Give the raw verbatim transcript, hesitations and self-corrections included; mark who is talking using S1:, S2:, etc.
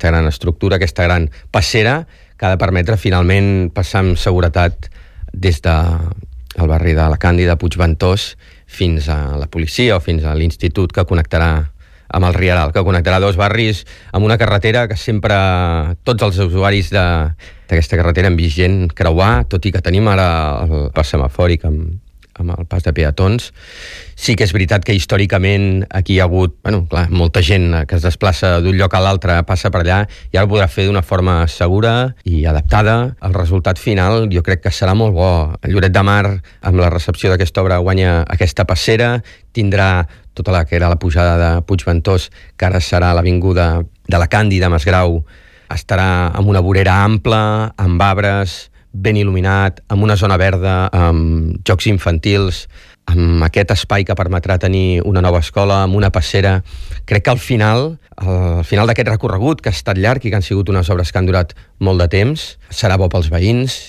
S1: aquesta gran estructura, aquesta gran passera, que ha de permetre finalment passar amb seguretat des del barri de la Càndida, Puigventós, fins a la policia o fins a l'institut que connectarà amb el Rieral, que connectarà dos barris amb una carretera que sempre tots els usuaris d'aquesta carretera han vist gent creuar, tot i que tenim ara el pas semafòric amb, amb el pas de peatons. Sí que és veritat que històricament aquí hi ha hagut, bueno, clar, molta gent que es desplaça d'un lloc a l'altre, passa per allà, i ara ho podrà fer d'una forma segura i adaptada. El resultat final jo crec que serà molt bo. El Lloret de Mar, amb la recepció d'aquesta obra, guanya aquesta passera, tindrà tota la que era la pujada de Puigventós, que ara serà l'avinguda de la Càndida, Masgrau, estarà amb una vorera ampla, amb arbres, ben il·luminat, amb una zona verda, amb jocs infantils, amb aquest espai que permetrà tenir una nova escola, amb una passera. Crec que al final, al final d'aquest recorregut, que ha estat llarg i que han sigut unes obres que han durat molt de temps, serà bo pels veïns